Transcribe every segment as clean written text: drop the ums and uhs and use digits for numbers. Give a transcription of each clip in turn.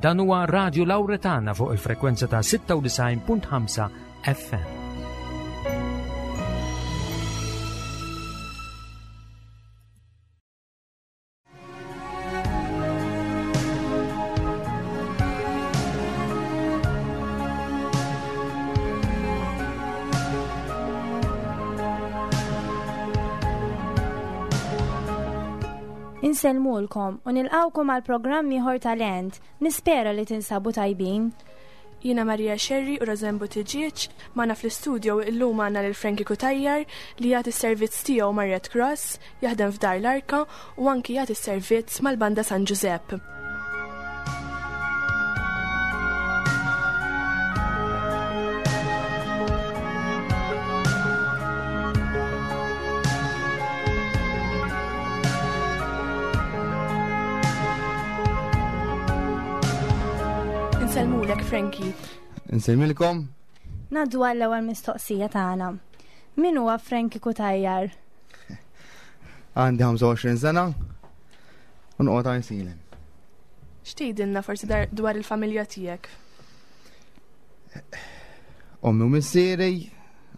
Dan huwa Radio Lauretana fuq il-frekwenza ta' 96.5 FM. Insellmulkom u nilqawkom għal programm ieħor talent. Nispera li tinsabu tajbin. Jiena Maria Scerri u Rosanne Buttigieg, magħna fl-istudio illum għandna lil Frankie Cutajar li jagħti s-servizz tiegħu mar-Red Cross, jaħdem f'Dar l-Arka u anki jagħti s-servizz mal-Banda San Ġużepp. Insellmulek Frankie. Insellmilkom. Naddu għall-ewwel mistoqsija tagħna. Min huwa Frankie Kutajjar? Għandi 25 sena u noqgħod għajsilem. X'tgħidilna forsi dwar il-familja tiegħek? Ommi u missieri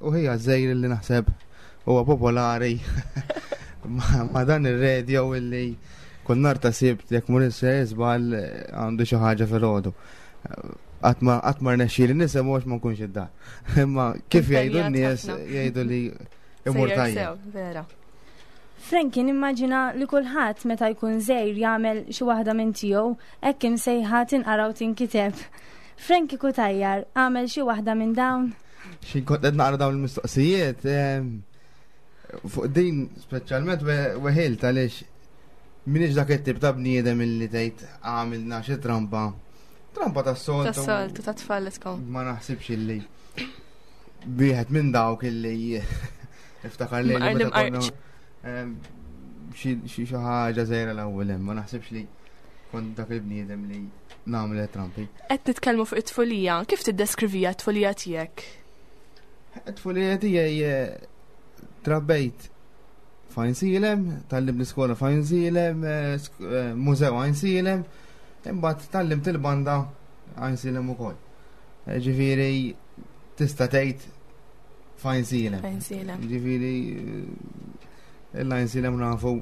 u ħija żejr li naħseb huwa popolari ma dan ir-radio illi kull nar ta' sibt jekk mur żball għandu xi ħaġa fil-ħodu. Qatt ma rnexxieli nisem għax ma nkunx id-dar. Imma kif jgħidu n-nies jgħidu li imur tajjeb. Vera. Frankie nimmaġina li kulħadd meta jkun żgħir jagħmel xi waħda minn tiegħu hekk imsejħa tinqara u tinkiteb. Frankie Cutajar għamel xi waħda minn dawn? Xi kont qed naqra dawn il-mistoqsijiet, ehm, fuq din speċjalment weħilt għaliex minix dak it-tip ta' bniedem illi tgħid għamilna xi trampa. Trampa tas-soltu. Tas-soltu ta' tfal tkun. Ma naħsibx illi wieħed minn dawk illi iftakar li ehm, xi ħaġa żgħira l-ewwel hemm, ma naħsibx li kont dak il-bniedem li nagħmel trampi. Qed nitkellmu fuq it-tfulija, kif tiddeskrivija t-tfulija tiegħek? It-tfulija tiegħi eh, trabbejt fajn silem, tallim l-iskola fajn silem, eh, eh, mużew għajn silem, imbagħad tallimt il-banda għajn silem ukoll. Ġifieri tista' tgħid fajn silem. Fajn silem. Ġifieri il-għajn silem nafu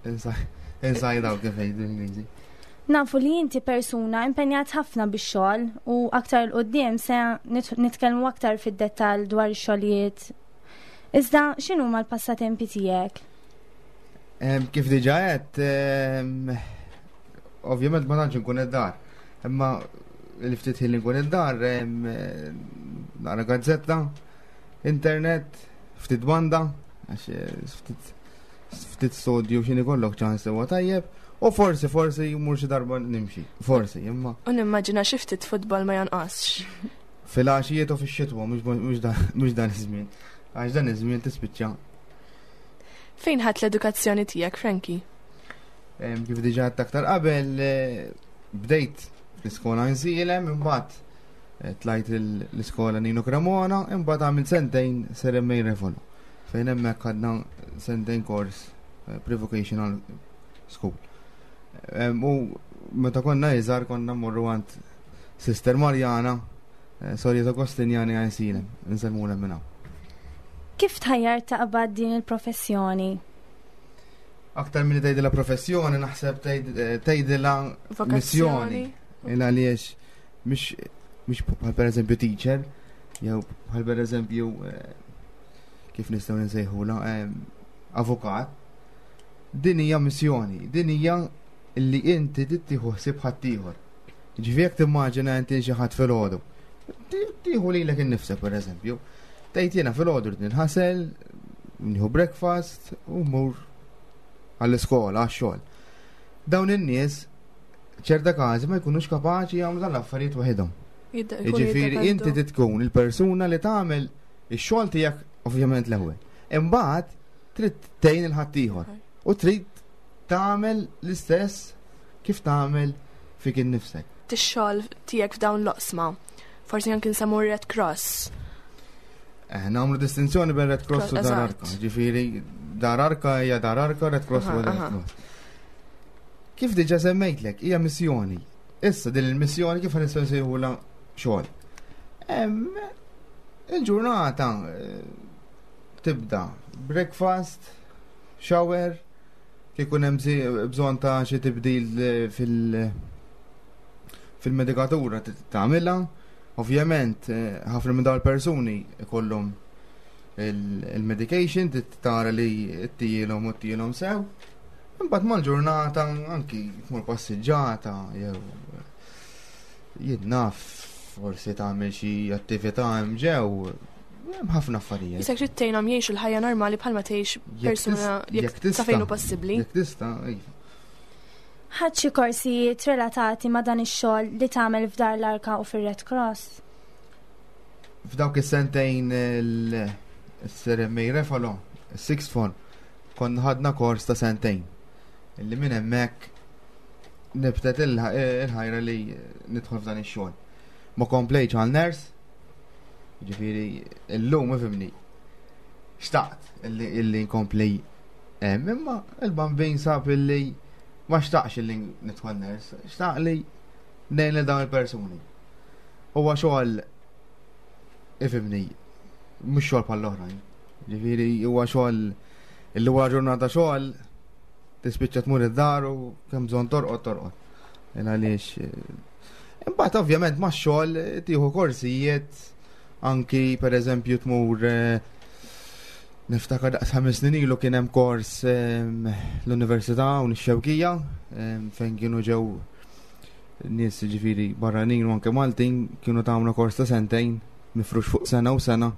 inside out kif jgħidu l-Ingliżi. Nafu li inti persuna impenjat ħafna bix-xogħol u aktar 'l quddiem se nitkellmu aktar fid-dettall dwar ix-xogħlijiet. Iżda x'inhuma l-passatempi tiegħek? Kif diġà għedt, ovvjament ma tantx inkun id-dar. Imma li ftit ħin li nkun id-dar, naqra gazzetta, internet, ftit banda, għax eh, ftit ftit studju x'inhi kollok ċans huwa tajjeb, u forsi forsi jmur xi darba nimxi, forsi, imma. U nimmaġina xi ftit futbol ma jonqosx. Fil-għaxijiet u fix-xitwa mhux dan iż-żmien. Għax dan iż-żmien tispiċċa. Fejn ħadt l-edukazzjoni tiegħek, Frankie? Kif diġà għedt aktar qabel, eh, bdejt l-iskola nżilem, imbagħad eh, tlajt l-iskola Nino Cremona, imbagħad għamil sentejn Seremmej Refolo. Fejn hemmhekk għadna sentejn kors eh, pre-vocational school. U meta konna iżgħar konna mmorru għand Sister Marjana, eh, Sorja Agostinjani għajsina, nsemmu minna. Kif tħajjar taqbad din il-professjoni? Aktar minn tgħidilha professjoni, naħseb eh, tgħidilha missjoni. Il għaliex mhix mhix bħal pereżempju teacher, jew bħal pereżempju eh, kif nistgħu nsejħula eh, avukat. Din hija missjoni, din hija li inti tittieħu ħsieb ħaddieħor. Ġifieri jekk timmaġina inti xi ħadd filgħodu. Tieħu lilek innifsek pereżempju. Tgħid jiena filgħodu rrid ninħasel, nieħu breakfast u mmur għall-iskola, għax-xogħol. Dawn in-nies ċerta każi ma jkunux kapaċi jagħmlu dan l-affarijiet waħedhom. Jiġifieri inti tkun il-persuna li tagħmel ix-xogħol tiegħek ovvjament l-ewwel. Imbagħad trid tgħin il-ħaddieħor u trid tagħmel l-istess kif tagħmel fik innifsek. Tix-xogħol tiegħek f'dawn l-oqsma. Forsi anke nsemmu Red Cross. Eh, nagħmlu distinzjoni bejn Red Cross u Dar Arka. Ġifieri Dar Arka hija Dar Arka, Red Cross u Red Cross. Kif diġà semmejtlek, hija missjoni. Issa din il-missjoni kif nistgħu nsejħulha xogħol. Il-ġurnata eh, tibda breakfast, shower, kikun hemm bżonn ta' xi tibdil eh, fil- fil-medikatura tagħmilha. Ovvjament, eh, ħafna minn dawn il-persuni ikollhom il-medication tara li ttielhom u ttielhom sew. Imbagħad mal-ġurnata anki tmur passiġġata jew jien naf forsi tagħmel xi attività hemm ġew hemm ħafna affarijiet. Isek trid tgħinhom jgħixu l-ħajja normali bħalma tgħix persuna jekk sa fejn hu possibbli. Jekk tista', iva. Ħadt xi korsijiet relatati ma' dan ix-xogħol li tagħmel f'Dar l-Arka u fir-Red Cross? F'dawk is-sentejn il-Sir Refalo, sixth form, konna ħadna kors ta' sentejn. Illi minn hemmhekk nibtet il-ħajra li nidħol f'dan ix-xogħol. Ma komplejtx għal ners, ġifieri illum ifimni. Xtaqt illi nkompli hemm, imma il-bambin sab illi ma xtaqx illi nidħol ners, xtaq li ngħin lil dawn il-persuni. Huwa xogħol ifimni, mhux xogħol bħall-oħrajn. Ġifieri huwa xogħol illi wara ġurnata xogħol tispiċċa tmur id-dar u kemm bżonn torqod torqod. Il għaliex. Eh, imbagħad ovvjament ma' xogħol eh, tieħu korsijiet anki pereżempju tmur eh, niftakar daqs ħames snin ilu kien hemm kors l-Università u nix-Xewkija fejn kienu ġew nies ġifieri barranin u anke Maltin kienu tagħmlu kors ta' sentejn mifrux fuq sena u sena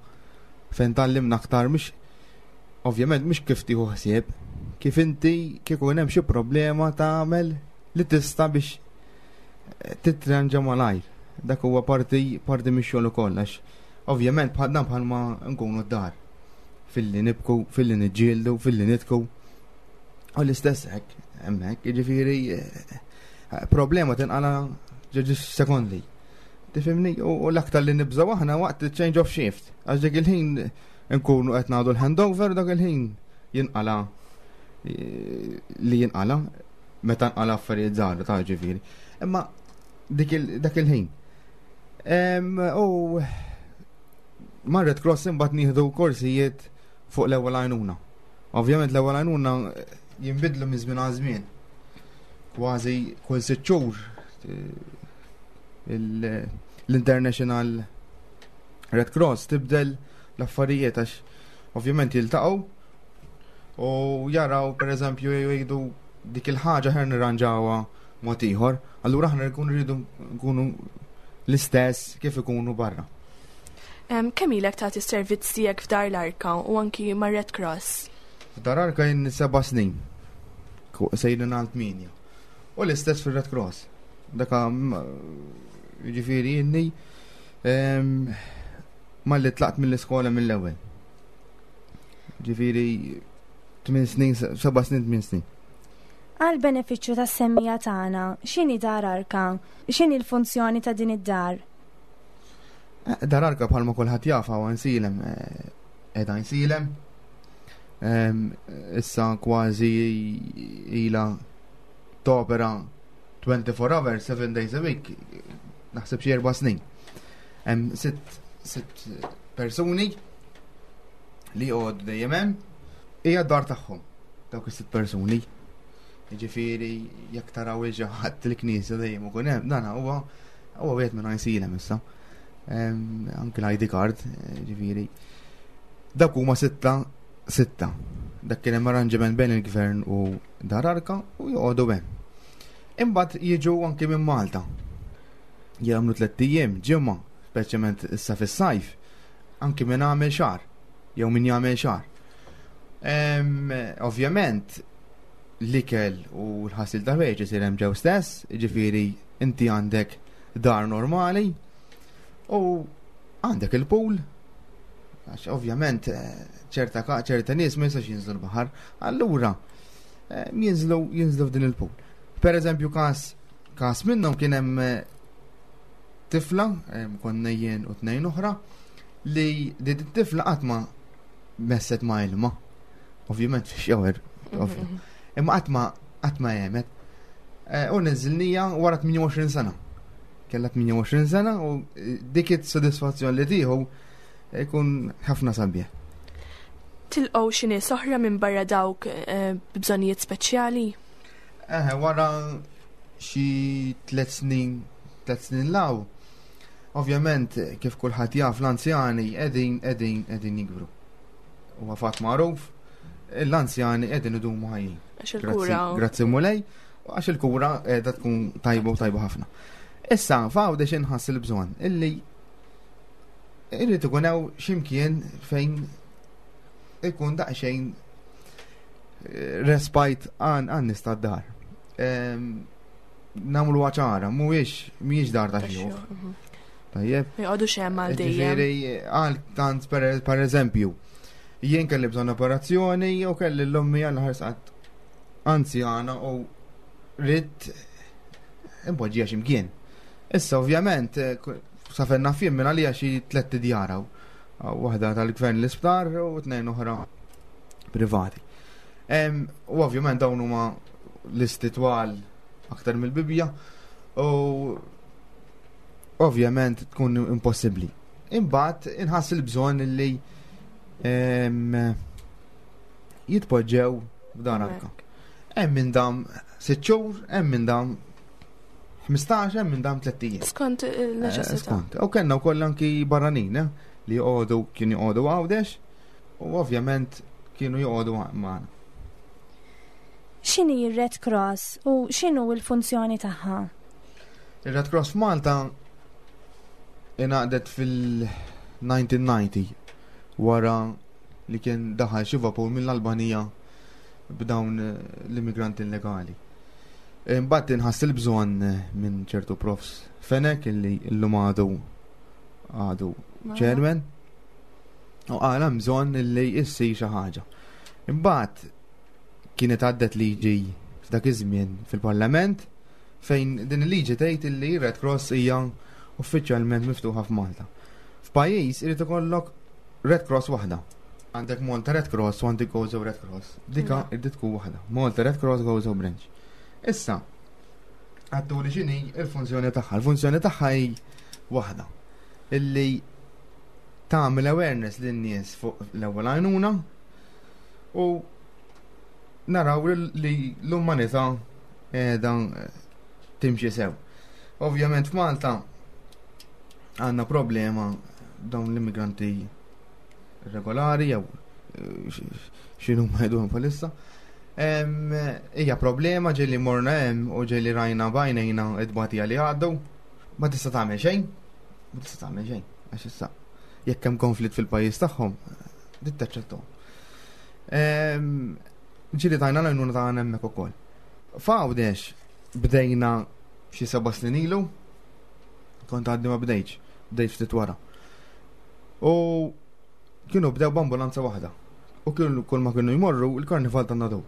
fejn tgħallimna aktar mhux ovvjament mhux kif tieħu ħsieb, kif inti kieku hemm xi problema tagħmel li tista' biex eh, titranġa malajr. Dak huwa parti parti mix-xogħol ukoll għax ovvjament bħal dan bħalma nkunu d-dar. Filli nibku, filli niġġieldu, filli nitku. U l-istess hekk, hemmhekk, jiġifieri eh, problema tinqala ġeġi sekondi. Tifhimni? U l-aktar li nibżgħu aħna waqt change of shift. Għax dik il-ħin nkunu qed nagħdu l-handover dak il-ħin jinqala eh, li jinqala meta nqala affarijiet żgħar ta' ġifieri. Imma dak il-ħin. U marret Cross imbagħad nieħdu korsijiet fuq l-ewwel għajnuna. Ovvjament l-ewwel għajnuna jinbidlu minn żmien għal żmien. Kważi kull sitt xhur eh, l-International Red Cross tibdel l-affarijiet għax ovvjament jiltaqgħu u jaraw pereżempju jgħidu dik il-ħaġa ħer nirranġawha mod ieħor, allura aħna nkunu rridu nkunu l-istess kif ikunu barra. Kemm ilek tagħti s-servizz tiegħek f'Dar l-Arka u anki mar Red Cross? F'Dar Arka jien seba' snin. Sejrin għal tmienja. U l-istess fir-Red Cross. Daka jiġifieri inni malli tlaqt mill-iskola mill-ewwel. Ġifieri 8 snin, 7 snin, 8 snin. Għal benefiċċju tas-semmija tagħna, x'inhi dar arka? X'inhi l-funzjoni ta' din id-dar? Eh, dar arka bħalma kulħadd jaf hawn nsilem eh, qiegħda nsilem. Issa kważi ila topera 24 hours, 7 days a week, naħseb xi erba' snin. Hemm sitt sitt persuni li joqogħdu dejjem hemm, hija d-dar tagħhom dawk is-sitt persuni. Jiġifieri jekk taraw il ħadd il-knisja dejjem ikun hemm, dan huwa huwa wieħed minn għajsilem issa. Anke l-ID card, ġifieri. Dak huma sitta sitta. Dak kien hemm arranġament bejn il-gvern u Dar Arka u joqogħdu hemm. Imbagħad jiġu anki minn Malta. Jagħmlu tlett ijiem, ġimgħa, speċjalment issa fis-sajf, anki minn għamel xahar jew min jagħmel xahar. Ovvjament l-ikel u l-ħasil ta' ħwejjeġ isir hemm ġew stess, jiġifieri inti għandek dar normali u għandek il-pool għax ovvjament eh, ċerta ċerta nies ma jistax jinżlu l-baħar, allura eh, jinżlu jinżlu f'din il-pool. Per eżempju każ każ minnhom kien hemm eh, tifla, konna jien u tnejn oħra, li din it-tifla qatt ma messet ma ilma. Ovvjament fi xewer, mhm. imma qatt ma qatt ma jemet. Eh, u niżilnija wara 28 sena. Kella 28 sena u eh, dik it-sodisfazzjon li tieħu jkun ħafna sabiħ. Tilqgħu xi nies oħra minn barra dawk eh, b'bżonnijiet speċjali? Eħe, wara xi tliet snin, tliet snin law, ovvjament kif kulħadd jaf l-anzjani qegħdin qegħdin qegħdin jikbru. Huwa fatt magħruf, l-anzjani qegħdin idumu ħajjin. Għax il-kura. Grazzi Mulej, għax il-kura qiegħda tkun tajba u tajba ħafna. Issa, f'Għawdex inħass il-bżonn illi irrid ikun hawn x'imkien fejn ikun daqsxejn eh, respite għan għan nista dar. Namlu ċara, mhuwiex mhijiex dar ta' xjuħ. Mhm. Tajjeb. Ma joqogħdux hemm għal dejjem. Ġifieri għal tant per eżempju, jien kelli bżonn operazzjoni u kelli l-ommi għal ħarsqat anzjana u rrid impoġġija x'imkien. Issa ovvjament eh, sa fejn naf jien minn għalija xi tlett idjar hawn. Waħda tal-gvern l-isptar u tnejn oħra privati. U ovvjament dawn huma listi twal aktar mill-Bibbja u ovvjament tkun impossibbli. Imbagħad inħass il-bżonn li jitpoġġew f'dan arka. Hemm minn dam sitt xhur, hemm minn dam 15 hemm minn dam tlett ijiem. Skont il-neċessità. Eh, skont. U kellna wkoll anki barranin eh, li joqogħdu kienu joqogħdu Għawdex u ovvjament kienu joqogħdu magħna. X'inhi r-Red Cross u x'inhu l-funzjoni tagħha? Ir-Red Cross f'Malta ingħaqdet fil-1990 wara li kien daħal xi vapur mill-Albanija b'dawn l-immigranti illegali. Imbagħad inħass il-bżonn minn ċertu profs Fenek illi llum għadu għadu chairman u qal hemm bżonn illi issir xi ħaġa. Imbagħad kienet għaddet liġi f'dak iż-żmien fil-Parlament fejn din il-liġi tgħid illi Red Cross hija uffiċjalment miftuħa f'Malta. F'pajjiż irid ikollok Red Cross waħda. Għandek Malta Red Cross u għandek Gozo Red Cross. Dika irrid tkun waħda. Malta Red Cross Gozo Branch. Issa, għattu li xini il-funzjoni tagħha. Il-funzjoni tagħha hi waħda. Illi tagħmel awareness lin-nies fuq l-ewwel għajnuna u naraw li l-umanità qiegħda timxi sew. Ovvjament f'Malta għandna problema dawn l-immigranti regolari jew eh, x'inhu ma jgħiduhom bħalissa. Hija problema ġieli morna hemm u ġieli rajna bajnejna id-batija li għaddu. Ma tista' tagħmel xejn. Ma tista' tagħmel xejn. Għax issa jekk hemm konflitt fil-pajjiż tagħhom, dit taċċettahom. Ġieli tajna l-għajnuna tagħna hemmhekk ukoll. F'Għawdex bdejna xi seba' snin ilu, kont għadni ma bdejtx, bdejt ftit wara. U kienu bdew b'ambulanza waħda. U kienu kull ma kienu jmorru il-karnival ta' nadu.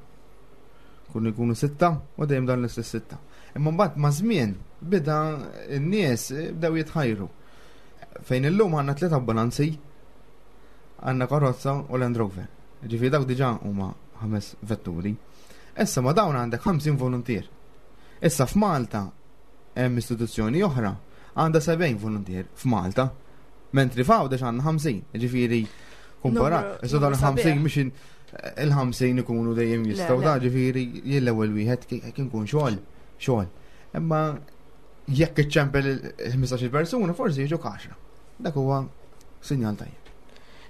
Kienu jkunu sitta u dejjem dan l-istess sitta. Imma mbagħad ma' żmien bida n-nies bdew jitħajru. Fejn illum għandna tliet ambulanzi, għandna karozza u Land Rover. Ġifieri dawk diġà huma ħames vetturi. Issa ma dawn għandek 50 voluntier. Issa f'Malta hemm istituzzjoni oħra għandha 70 voluntier f'Malta. Mentri f'Għawdex għandna 50, ġifieri kumparat. Issa dawn 50 mhux il-50 ikunu dejjem jistgħu da ġifieri jien l-ewwel wieħed kien kun xogħol, xogħol. Imma jekk iċċempel il-15 persuna forsi jiġu kaxra. Dak huwa sinjal tajjeb.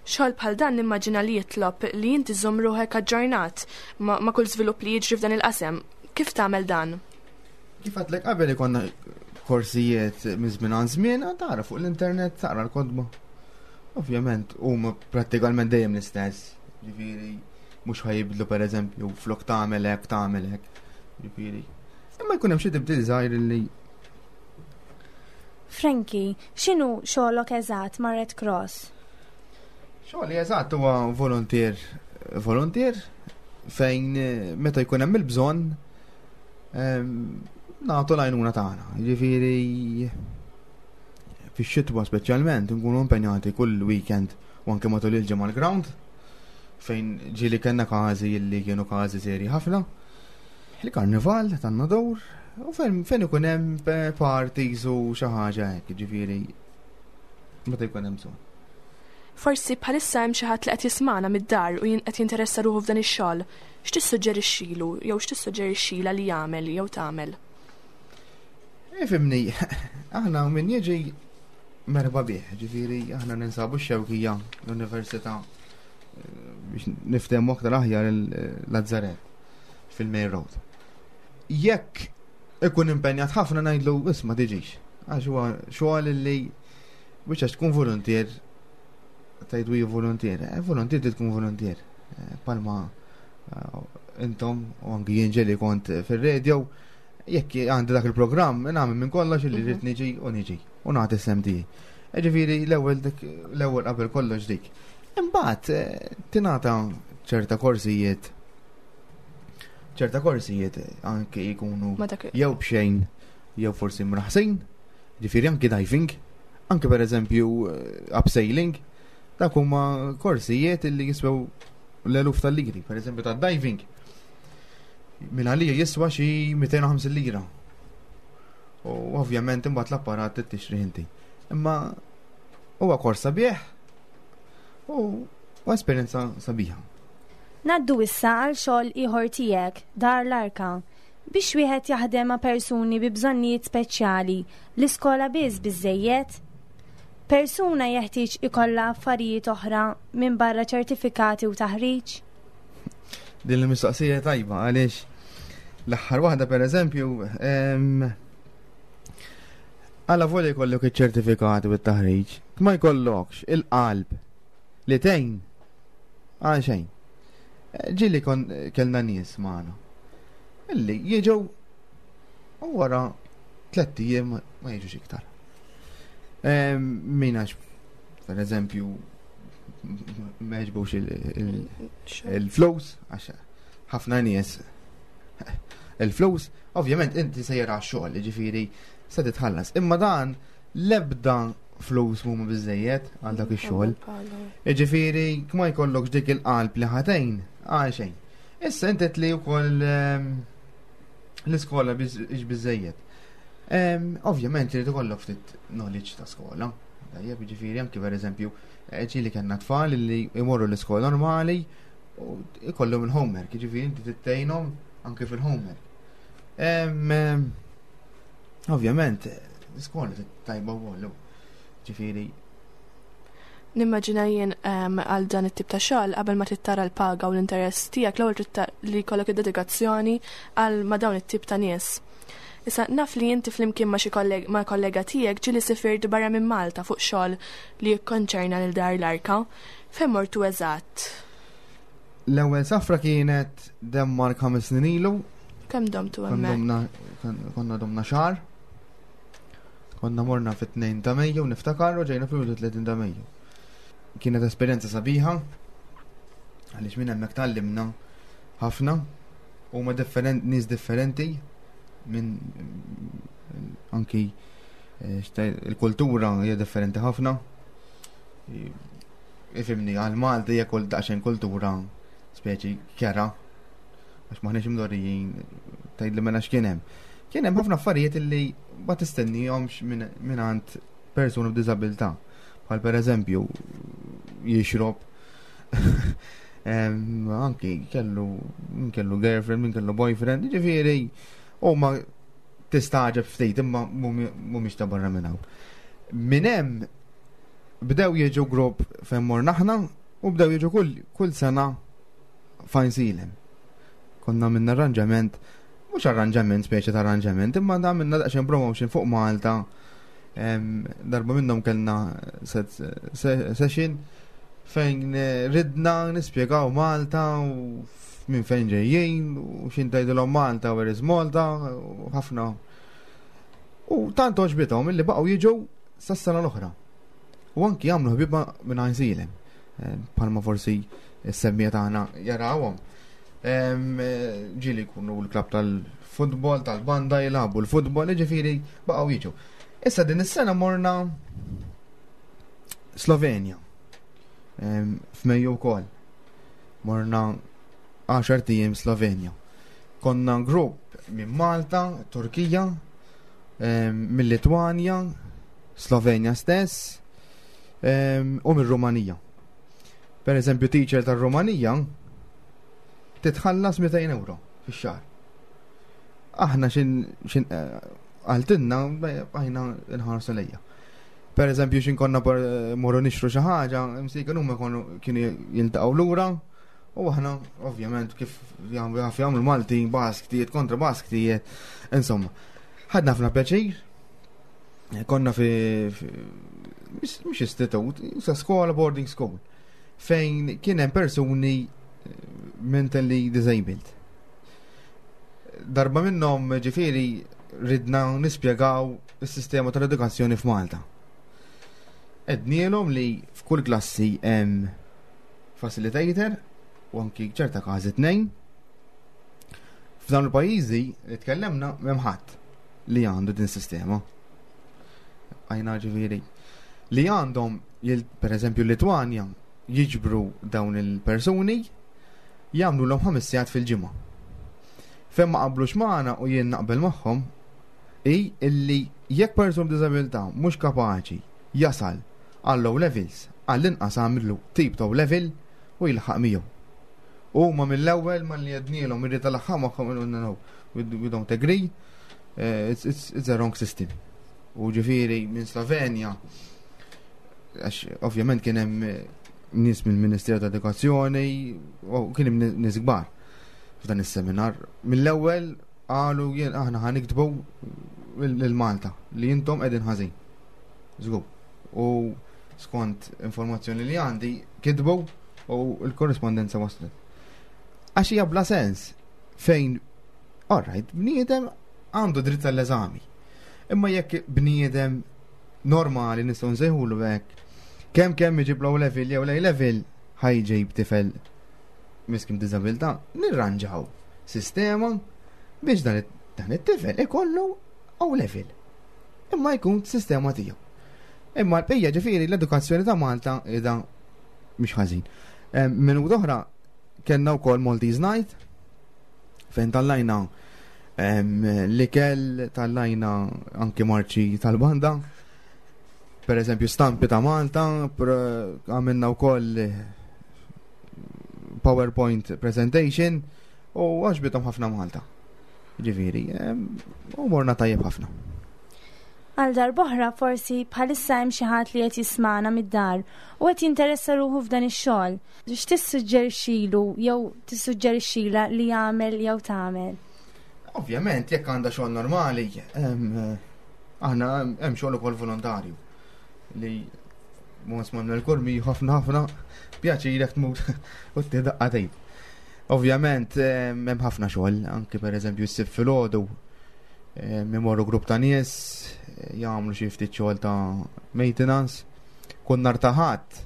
Xogħol bħal dan nimmaġina li jitlob li inti żomm ruħek aġġornat ma' kull żvilupp li jiġri f'dan il-qasem. Kif tagħmel dan? Kif għadlek qabel ikonna korsijiet minn żmien għal żmien, tara fuq l-internet, taqra l-kodba. Ovvjament, huma prattikalment dejjem l-istess. Ġifieri, mhux ħajibdlu pereżempju flok tagħmel hekk, tagħmel hekk. Ġifieri. Imma jkun hemm xi tibdil żgħir li Frankie, x'inhu xogħlok eżatt ma' Red Cross? Xogħli eżatt huwa volontier volontier fejn eh, meta jkun hemm il-bżonn nagħtu l-għajnuna tagħna. Jiġifieri fix-xitwa speċjalment nkunu impenjati kull weekend u anke matul il-ġimgħa l-ground fejn ġieli kellna każi li kienu każi serji ħafna. Il-karnival tan-nadur. U fejn fejn ikun hemm eh, parties u xi ħaġa hekk, ġifieri meta jkun hemm bżonn. Forsi bħalissa hemm xi ħadd li qed jismagħna mid-dar u qed jinteressa ruħu f'dan ix-xogħol. X'tissuġġerixxilu jew x'tissuġġerixxilha li jagħmel jew tagħmel? Ifimni, aħna min jiġi merħba bih, ġifieri aħna ninsabu x-xewkija l-Università eh, biex niftehmu aktar aħjar l-Lazzaret fil-Main Road. Jekk ikun impenjat ħafna ngħidlu isma' tiġix. Għax huwa xogħol li biex għax tkun volontier tgħidu hi volontier. Eh, volontier tkun volontier. Eh, palma eh, intom u anki jien ġeli kont fir-radio jekk għandi dak il-programm nagħmel minn kollox li rrid mhm. niġi u niġi u nagħti sem tiegħi. Ġifieri l-ewwel l-ewwel qabel kollox dik. Imbagħad tingħata ċerta korsijiet ċerta korsijiet anke jkunu jew b'xejn jew forsi mraħsin, ġifieri anki diving, anke pereżempju eh, abseiling, dak huma korsijiet li jiswew l-eluf tal-liri, pereżempju ta' diving. Minn għalija jiswa xi 250 lira. U ovvjament imbagħad l-apparat tixtri inti. Imma huwa kors sabiħ u esperjenza sabiħa. Ngħaddu issa għal xogħol ieħor tiegħek, Dar l-Arka. Biex wieħed jaħdem ma' persuni bi bżonnijiet speċjali, l-iskola biss biżżejjed? Persuna jeħtieġ ikollha affarijiet oħra minbarra ċertifikati u taħriġ? Din il-mistoqsija tajba għaliex l-aħħar waħda pereżempju għala volja jkollok iċ-ċertifikati u t-taħriġ, ma jkollokx il-qalb li tgħin Għal xejn. Ġieli kon kellna nies magħna. Illi jiġu u wara tlett ijiem ma jiġux iktar. Min għax, per eżempju, ma jġbux il-flus, għax ħafna nies il-flus, ovvjament inti sejra xogħol, ġifieri se titħallas. Imma dan l-ebda flus mhuma biżejjed għal dak ix-xogħol. Jiġifieri ma jkollokx dik il-qalb li ħatejn għal xejn. Issa inti li wkoll ehm, l-iskola biex biżejjed. Ehm, ovvjament irid ikollok ftit knowledge ta' skola. Tajjeb, jiġifieri anki pereżempju eh, ġieli kellna tfal li jmorru l-iskola normali u ikollhom il-homework, jiġifieri inti tittejnhom anki fil-homework. Ehm, Ovvjament, l-iskola tajba wkoll, ġifieri. Nimmaġina jien ehm, għal dan it-tip ta' xogħol qabel ma tittara l-paga u l-interess tiegħek l-ewwel trid li jkollok id-dedikazzjoni għal ma' dawn it-tip ta' nies. Issa naf li inti flimkien ma' xi ma' kollega tiegħek ġieli sifirt barra minn Malta fuq xogħol li jikkonċerna lil Dar l-Arka. Fejn mortu eżatt? L-ewwel safra kienet Denmark ħames snin ilu. Kemm domtu hemmhekk? Konna domna xahar. Konna morna fit-2 ta' Mejju niftakar u ġejna fil-31 ta' Mejju. Kienet esperjenza sabiħa għaliex minn hemmhekk tgħallimna ħafna huma different nies differenti minn anki eh, il-kultura hija differenti ħafna. Ifimni, għal Malti hija kull daqsxejn kultura speċi kera għax maħniex imdorrijin tgħid li mela x'kien hemm. Kien hemm ħafna affarijiet li ma tistennihomx minn għand persuna b'diżabilità. Bħal pereżempju jixrob anki kellu min kellu girlfriend, min kellu boyfriend, ġifieri huma tistaġeb ftit imma mhumiex ta' barra minn hawn. Minn hemm Bdew jiġu grupp fejn morna aħna u bdew jiġu kull, kull sena fajn silem. Konna minna arranġament, mhux arranġament, speċi ta' arranġament, imma da minna daqsxejn promotion fuq Malta. Darba minnhom kellna session fejn eh, ridna nispjegaw Malta u minn fejn ġejjin u xin tgħidilhom Malta where is Malta u ħafna. U tant oġbithom illi baqgħu jiġu sas-sena l-oħra. U anki jagħmlu ħbiba minn għajnsilem. Eh, palma forsi s-semmija tagħna jarawhom. Eh, ġieli jkunu l-klab tal-futbol, tal-banda jilagħbu l-futbol, ġifieri baqgħu jiġu. Issa din is-sena morna Slovenja. F'Mejju wkoll. Morna 10 tiem Slovenja. Konna grupp minn Malta, Turkija, mill-Litwanja, Slovenja stess u mir-Rumanija. Per eżempju, teacher tar-Rumanija titħallas 200 euro fix-xahar. Aħna xin xin eh, għaltinna għajna nħarsu lejja. Per eżempju, xin konna morru nixtru xi ħaġa, msiken huma kienu jiltaqgħu lura u aħna ovvjament kif jaf jagħmlu Malti basktijiet kontra basktijiet, insomma. Ħadna ħafna pjaċir, konna fi mhux istitut, sa skola boarding school, fejn kien hemm persuni eh, mentally disabled. Darba minnhom ġifieri ridna nispjegaw is-sistema tal-edukazzjoni f'Malta. Ednielhom li f'kull klassi hemm facilitator u anki ċerta każi tnejn. F'dawn il-pajjiżi li tkellemna m'hemm ħadd li għandu din sistema. Għajna ġifieri li għandhom per eżempju Litwanja jiġbru dawn il-persuni jagħmlu l ħames sigħat fil-ġimgħa. Fejn ma qablux magħna u jien naqbel magħhom hi illi jekk persuna b'diżabilità mhux kapaċi jasal għal low levels, għall-inqas għamlu tip ta' level u jilħaq miegħu. Huma mill-ewwel malli għednielhom irrid alaħħam magħhom no, no, we don't agree, eh, it's, it's, it's a wrong system. U ġifieri minn Slovenja, għax ovvjament kien hemm eh, nies mill-Ministeru ta' Edukazzjoni, u kien hemm nies kbar f'dan is-seminar. Mill-ewwel qalu jien aħna ħa niktbu lil Malta li intom qegħdin ħażin. Żgur. U skont informazzjoni li għandi kitbu u l-korrispondenza waslet. Għax hija bla sens fejn alright, bniedem għandu dritt tal-eżami. Imma jekk bniedem normali nistgħu nsejħulu hekk, kemm kemm iġib low level jew lej level ħajġib tifel miskin b'diżabilità, nirranġaw sistema biex dan it-tifel ikollu O level. Imma jkun sistema tiegħu. Imma l-bqija ġifieri l-edukazzjoni ta' Malta qiegħda mhix ħażin. Minuta oħra kellna wkoll Maltese Night fejn tallajna l-ikel, tallajna anki marċi tal-banda. Per eżempju stampi ta' Malta, għamilna wkoll PowerPoint presentation u għaxbitom ħafna Malta. Ġifieri, u morna tajjeb ħafna. Għal darb'oħra forsi bħalissa hemm xi ħadd li qed jismagħna mid-dar u qed jinteressa ruħu f'dan ix-xogħol. X'tissuġġerixxilu jew tissuġġerixxilha li jagħmel jew tagħmel? Ovvjament, jekk għandha xogħol normali, aħna hemm xogħol ukoll volontarju li Mons Manuel Kurmi ħafna ħafna pjaċir jekk tmur u tidaqqa Ovvjament hemm ħafna xogħol, anki pereżempju s-sib filgħodu imorru grupp ta' nies jagħmlu xi ftit xogħol ta' maintenance. Kull nhar ta' ħadd,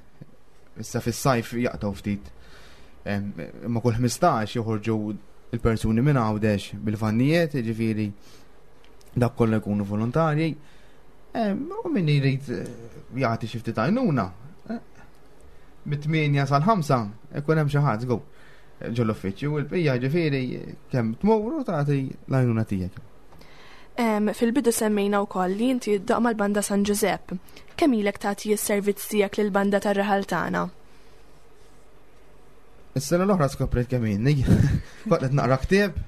issa fis-sajf jaqtgħu ftit. Imma kull 15 joħorġu il-persuni minn Għawdex bil-vannijiet, jiġifieri dak kollha jkunu volontarji. U min jrid eh, jagħti xi ftit għajnuna, eh, mit-8 sal-5 ikun hemm xi ħadd żgur ġol-uffiċċju u l-bqija ġifieri kemm tmur u tagħti l-għajnuna tiegħek. Fil-bidu semmejna wkoll li inti ddoq mal-Banda San Ġużepp. Kemm ilek tagħti s-servizz tiegħek lill-banda tar-raħal tagħna? Is-sena l-oħra skoprejt kemm inni. Kont qed naqra ktieb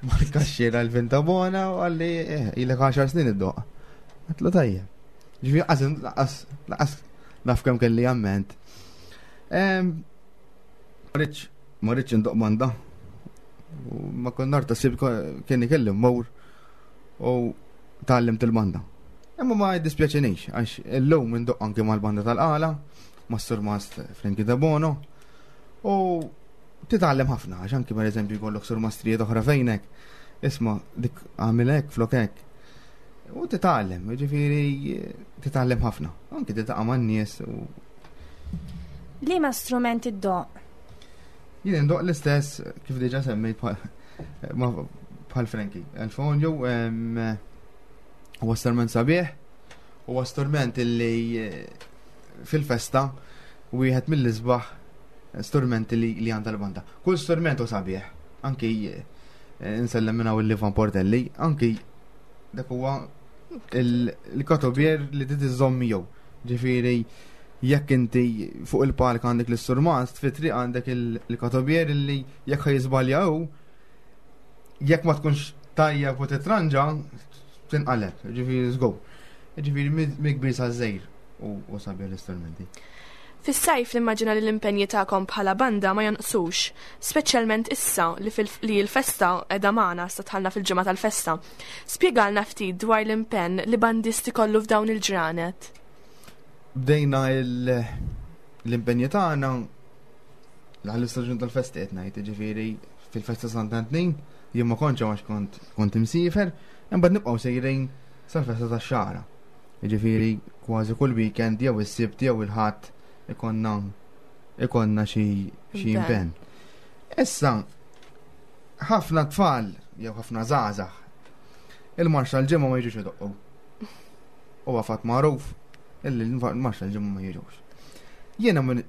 mal-kaxxiera l-Vintabona u għalli eh, ilek 10 snin id-doq. Għatlu tajjeb. Ġifieri qas laqas naf kemm kelli amment. Ma rridx indoq banda. Ma kont nar ta' sib kien ikelli mmur u tgħallimt il-banda. Imma ma jiddispjaċinix għax illum indoq anki mal-banda tal-qala, mas-surmast Frankie Debono u titgħallem ħafna għax anki pereżempju jkollok surmastrijiet oħra fejnek. Isma' dik għamil hekk flok hekk. U titgħallem, ġifieri titgħallem ħafna. Anki tiltaqa' man-nies u Liema strument iddoqq? Jien indoqq l-istess kif diġà semmejt bħal Frankie. Il-fonju huwa strument sabiħ, huwa strument illi eh, fil-festa wieħed mill-isbaħ strumenti li, li għandha l-banda. Kull strument u sabiħ, anki eh, nsellem minn hawn il-Ivan Portelli, anki dak huwa il-katobier li trid iżżomm miegħu. Ġifieri jekk inti fuq il-palk għandek l-isturmast, fit-triq għandek il-katobier li jekk ħaj hu, jekk ma tkunx tajjeb u titranġa, tinqaleb, ġifieri żgur. Ġifieri mi kbir sa żejr u sabiħ l-istrumenti. Fis-sajf nimmaġina li l-impenji tagħkom bħala banda ma jonqsux, speċjalment issa li, li l-festa qiegħda magħna sa dħalna fil-ġimgħa tal-festa. Spjegalna ftit dwar l-impenn li bandisti kollu f'dawn il-ġranet. Bdejna l-impenji tagħna l-istaġun tal-festa qed ngħid, ġifieri fil-festa Sant'Antnin, jien ma kontx għax kont kont imsiefer, imbagħad nibqgħu sejrin sal-festa tax-xagħra. Jiġifieri kważi kull weekend jew is-Sibt jew il-Ħadd ikonna ikonna xi xi impenn. Issa ħafna tfal jew ħafna żgħażagħ il-marxa l-ġimgħa ma jiġux idoqqu. Huwa fatt magħruf illi l-marxa l-ġimgħa ma jiġux. Jiena minn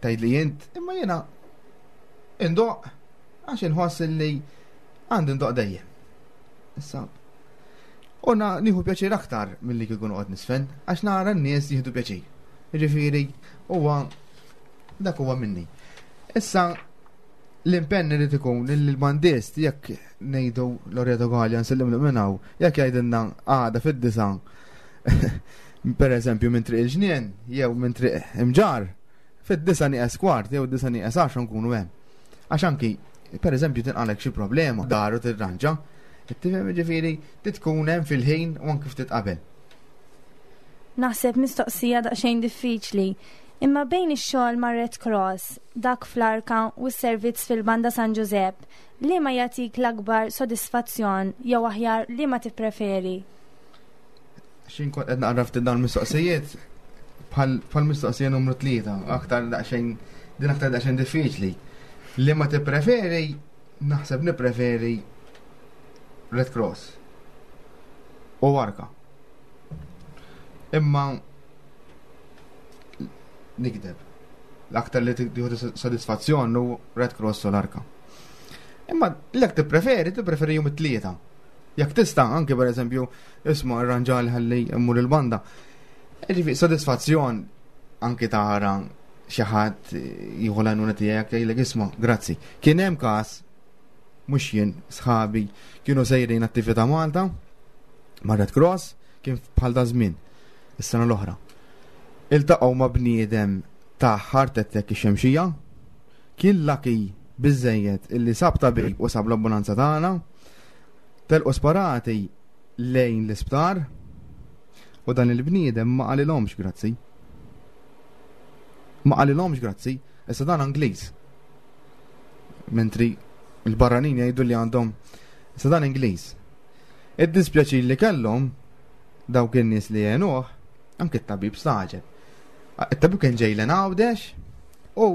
tgħidli jint, imma jiena indoq għax inħoss illi għandi ndoq dejjem. Issa, U nieħu pjaċir aktar milli kieku noqgħod nisfen, għax nara n-nies jieħdu pjaċir. Jiġifieri huwa dak huwa minni. Issa l-impenn irid ikun li l-bandist jekk ngħidu Loreto Gallia nsellimlu minn hawn, jekk jgħidilna għada fid-disa per eżempju minn triq il-ġnien jew minn triq imġar, fid-disa nieqes kwart jew disa nieqes għaxra nkunu hemm. Għax anki, per eżempju, tinqalek xi problema, daru tirranġa, Tifhem ġifieri tkun hemm fil-ħin u anki ftit qabel. Naħseb mistoqsija daqsxejn diffiċli. Imma bejn ix-xogħol ma' Red Cross, dak fl-Arka u s-servizz fil-Banda San Ġużepp, liema jagħtik l-akbar sodisfazzjon jew aħjar liema tippreferi? Xin kont qed naqra ftit dawn mistoqsijiet bħal mistoqsija numru tlieta, aktar daqsxejn din aktar daqsxejn diffiċli. Li ma tippreferi, naħseb nippreferi Red Cross u Arka. Imma nikdeb. L-aktar li tieħu sodisfazzjon hu Red Cross u l-Arka. Imma l-ek tippreferi, tippreferi jum it-tlieta. Jekk tista' anke per eżempju, isma' arranġali ħalli mmur il-banda. Ġifi, sodisfazzjon anke tara xi ħadd jieħu l-għajnuna tiegħek jgħidlek isma' grazzi. Kien hemm każ mhux jien, sħabi kienu sejrin attività Malta ma' Red Cross kien bħal da żmien is-sena l-oħra. Iltaqgħu ma' bniedem ta' heart attack ix-xemxija, kien lucky biżejjed illi sab tabib u sab l-ambulanza tagħna, telqu sparati lejn l-isptar u dan il-bniedem ma qalilhomx grazzi. Ma qalilhomx grazzi, issa dan Ingliż. Mentri il-barranin jgħidu li għandhom issa dan Ingliż. Id-dispjaċir li kellhom dawk in-nies li għenuh, anke t-tabib staġeb. It-tabib kien ġej l Għawdex u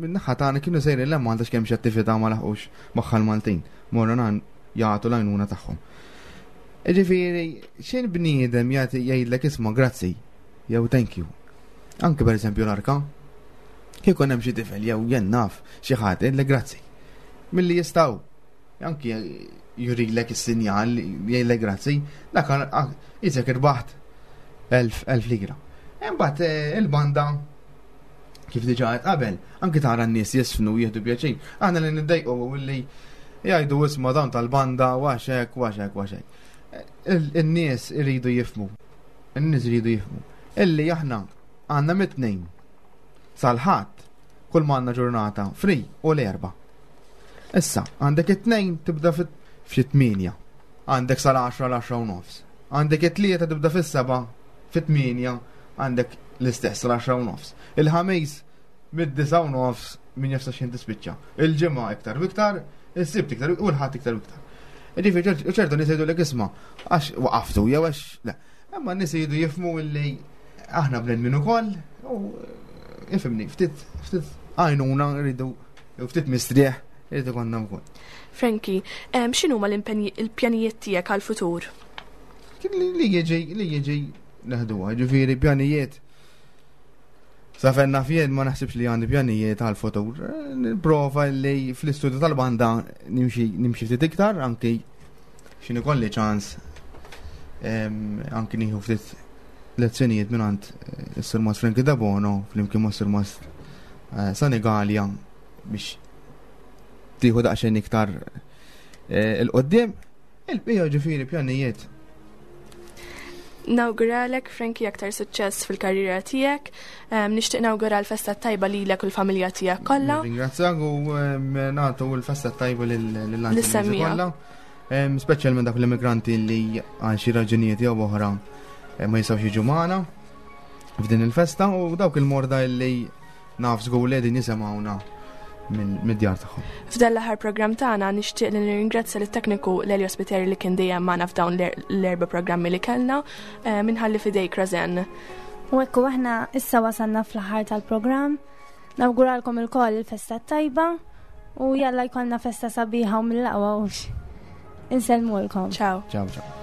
min-naħa tagħna kienu sejrin l Malta x'kemm xi attività ma laħqux magħha l-Maltin. Morru nan jagħtu l-għajnuna tagħhom. Ġifieri, x'in bniedem jagħti jgħidlek isma' grazzi jew thank you. Anke pereżempju l-arka, kieku hemm xi tifel jew jien naf xi ħadd jgħidlek grazzi. Milli jistgħu anki jurilek is-sinjal jgħidlek grazzi, dak jisek irbaħt elf elf lira. Imbagħad eh, il-banda kif diġà qed qabel, anki tara n-nies jisfnu jieħdu pjaċir. Aħna li niddejqu li jgħidu isma' dawn tal-banda u għax hekk u għax hekk u għax hekk. In-nies iridu jifhmu. In-nies iridu jifhmu. Illi aħna għandna mit-tnejn sal-ħadd kull ma għandna ġurnata free u l-erba. Issa, għandek it-tnejn tibda f'xi tmienja. Għandek sal-10 l-10 u nofs. Għandek it-tlieta tibda fis-seba' fit-tmienja għandek l-istess l-10 u nofs. Il-ħamis mid-9 u nofs min jaf sa xejn tispiċċa. Il-ġimgħa iktar u iktar, is-sibt iktar u l-ħadd iktar u iktar. Ġifieri ċertu nies jgħidulek isma' għax waqaftu jew għax le. Imma n-nies jgħidu jifhmu li aħna bnedmin ukoll u ifhimni, ftit ftit għajnuna rridu ftit mistrieħ irid ikollna wkoll. Frankie, x'inhuma l-pjanijiet tiegħek għall-futur? Li jiġi li jiġi neħduha, ġifieri pjanijiet. Sa fejn naf jien ma naħsibx li għandi pjanijiet għal futur. Nipprova li fl-istudju tal-banda nimxi nimxi ftit iktar anki x'in ikolli ċans anki nieħu ftit lezzjonijiet minn għand eh, is-Sur Frankie Dabono flimkien ma' Sur eh, Sanigalia biex tieħu daqsxejn iktar eh, il-qoddim. Il-bija ġifieri pjanijiet. Nawguralek Frankie aktar suċċess fil-karriera tiegħek. Nixtieq nawgura l-festa tajba lilek u l-familja tiegħek kollha. Ringrazzjak u nagħtu l-festa tajba lill-anzjani kollha. Speċjalment dak l-immigranti li għal xi raġunijiet jew oħra eh, ma jistgħux jiġu magħna f'din il-festa u dawk il-morda li Naf żgur li qegħdin jisimgħuna mid-djar tagħhom. F'dan l-aħħar programm tagħna nixtieq li nirringrazzja lit-tekniku Lelio Spiteri li kien dejjem magħna f'dawn l-erba' programmi li kellna eh, minħalli fidejk Rosen. U ekku aħna issa wasalna fl-aħħar tal-programm. Nawguralkom ilkoll il-festa tajba u jalla jkollna festa sabiħa u mill-aqwa hux. Insellmulkom. Ciao. Ciao, ciao.